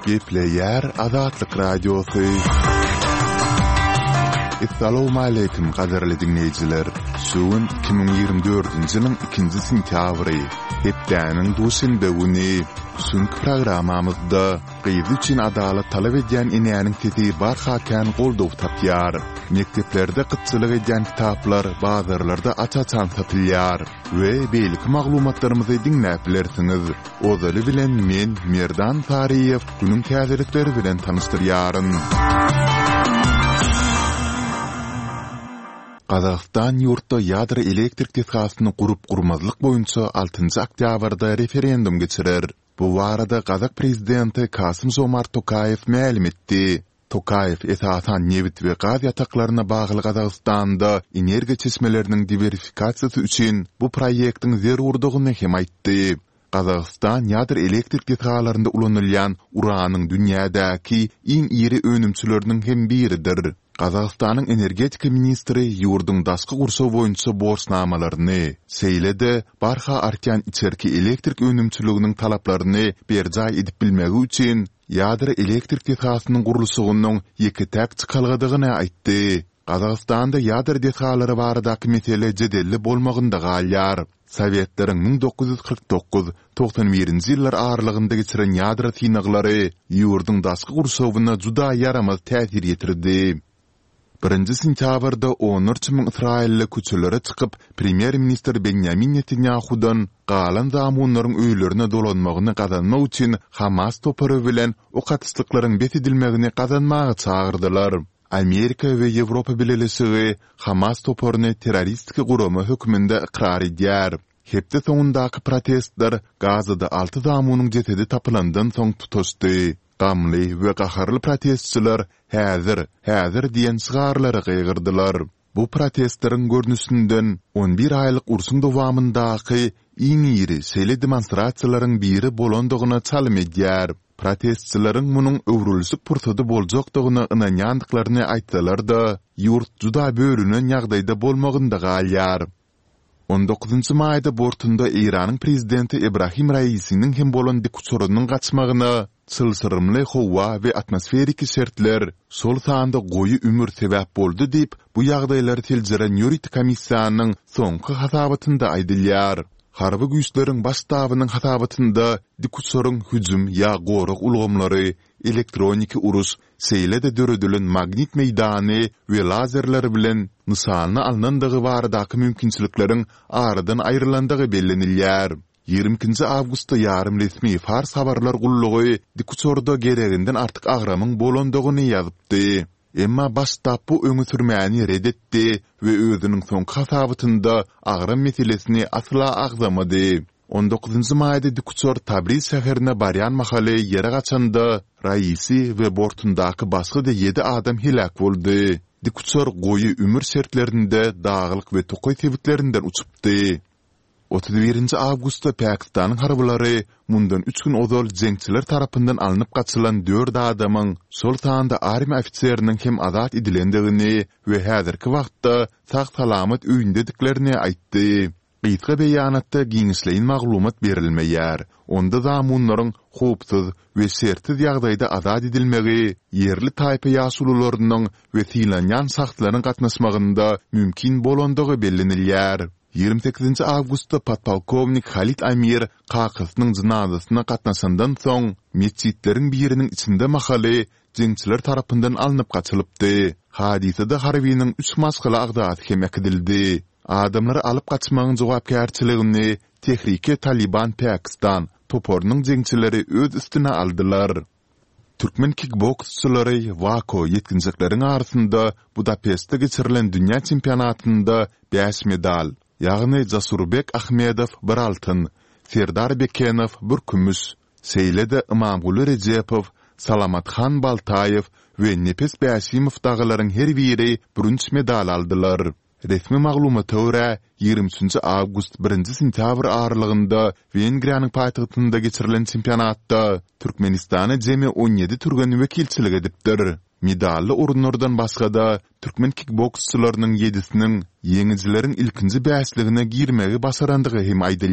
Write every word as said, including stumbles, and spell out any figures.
Gepleýär Azatlyk Radiosy. Essalawmaleýkim gadyrly diňleýjiler! Şu gün iki müň ýigrimi dördünji ýylyň ikinji sentýabry, hepdäniň duşenbe güni. Şu günki programmamyzda gyzy üçin adalat talap edýän enäniň sesi barha kän goldaw tapýar. Mekdeplerde gytçylyk edýän kitaplar bazarlarda aç-açan satylýar we beýleki maglumatlarymyzy diňläp bilersiňiz. Ozaly bilen men, Merdan Saryýew, günüň täzelikleri bilen tanyşdyrýaryn. Gazagystan ýurtda ýadro elektrik desgasyny gurup-gurmazlyk boýunça altynjy oktýabrda referendum geçirer. Bu barada gazak prezidenti Kasym-Žomart Tokaýew mälim etdi. Tokaýew esasan nebit we gaz ýataklaryna bagly Gazagystanda energiýa çeşmeleriniň diwersifikasiýasy üçin bu proýektiň zerurdygyny hem aýtdy. Gazagystan ýadro elektrik desgalarynda ulanylýan uranyň dünýädäki iň iri önümçileriniň hem biridir. Gazagystanyň energetika ministri ýurduň daşky gurşaw boýunça borçnamalaryny, şeýle-de barha artýan içerki elektrik önümçiliginiň talaplaryny berjaý edip bilmegi üçin ýadro elektrik desgasynyň gurluşygynyň ýeke-täk çykalgadygyny aýtdy. Gazagystanda ýadro desgalary baradaky mesele jedelli bolmagynda galýar. Sowetleriň müň dokuz ýüz kyrk dokuz, togsan birinji ýyllar aralygynda geçiren ýadro synaglary ýurduň daşky gurşawyna juda ýaramaz täsir ýetirdi. Birinji sentýabrda onlarça müň ysraýylly köçelere çykyp, premýer-ministr Benýamin Netanýahudan galan zamunlaryň öýlerine dolanmagyny gazanmak üçin Hamas topary bilen ok atyşlyklaryň bes edilmegini gazanmaga çagyrdylar. Amerika we Ýewropa Bileleşigi Hamas toparyny terroristik gurama hökmünde ykrar edýär. Hepde soňundaky protestler Gazada alty zamunyň jesedi tapylandan soň tutaşdy. Gamly we gaharly protestçiler Häzir! Häzir! diýen şygarlary gygyrdylar. Bu protestleriň görnüşinden on bir aýlyk urşuň dowamyndaky iň iri şeýle demonstrasiýalaryň biri bolandygyna çalym edýär. Protestçileriň munuň öwrülişik pursady boljakdygyna ynanýandyklaryny aýtsalar-da, ýurt juda bölünen ýagdaýda bolmagynda galýar. On dokuzynjy maýda bortunda Eýranyň prezidenti Ebrahim Raisiniň hem bolan dikuçarynyň gaçmagyna çylşyrymly howa we atmosferiki şertler, şol sanda goýy ümür sebäp boldy diýip, bu ýagdaýlary seljeren ýörite komissiýanyň soňky hasabatynda aýdylýar. Harby güýçleriň baş ştabynyň hasabatynda dikuçaryň hüjüm ýa gorag ulgamlary, elektroniki uruş, şeýle-de döredilen magnit meýdany we lazerler bilen nyşana alnandygy baradaky mümkinçilikleriň aradan aýrylandygy bellenilýär. Ýigrimi ikinji awgustda ýarym resmi Fars habarlar gullugy dikuçarda gereginden artyk agramyň bolandygyny ýazypdy. Emma baş ştab bu öňe sürmäni ret etdi we özüniň soňky hasabatynda agram meselesini asla agzamady. On dokuzynjy maýda dikuçar Tabriz şäherine barýan mahaly ýere gaçanda, Raisi we bortundaky başga-da ýedi adam heläk boldy. Dikuçar goýy ümür şertlerinde daglyk we tokaý sebitlerinden uçupdy. Otuz birinji awgustda Pakistanyň harbylary mundan üç gün ozal jeňçiler tarapyndan alnyp gaçylan dört adamyň, şol sanda armiýa ofiseriniň hem azat edilendigini we häzirki wagtda sag-salamat öýündediklerini aýtdy. Gysga beýanatda giňişleýin maglumat berilmeýär. Onda zamunlaryň howpsuz we şertsiz ýagdaýda azat edilmegi ýerli taýpa ýaşulularynyň we sylanýan şahslaryň gatnaşmagynda mümkin bolandygy bellenilýär. Ýigrimi sekizinji awgustda podpolkownik Halid Amir kakasynyň jynazasyna gatnaşandan soň, metjitleriň biriniň içinde mahaly jeňçiler tarapyndan alnyp gaçylypdy. Hadysada harbynyň üç maşgala agzasy hem äkidildi. Adamlary alyp gaçmagyň jogapkärçiligini Tehrike Talyban Pakistan toparynyň jeňçileri öz üstüne aldylar. Türkmen kikboksçylary WAKO ýetginjekleriň arasynda Budapeştde geçirilen dünýä çempionatynda bäş medal, ýagny Jasurbek Ahmedow bir altyn, Serdar Bekenow bir kümüş, şeýle-de Ymamguly Rejepow, Salamathan Baltaýew we Nepes Bäşimow dagylaryň her biri bürünç medal aldylar. Resmi maglumata görä, ýigrimi üçünji awgust, birinji sentýabr aralygynda Wengriýanyň paýtagtynda geçirilen çempionatda Türkmenistana jemi on ýedi türgen wekilçilik edipdir. Medally orunlardan başga-da, türkmen kikboksçylarynyň ýedisiniň ýeňijileriň ilkinji bäşligine girmegi başarandygy hem aýdylýar.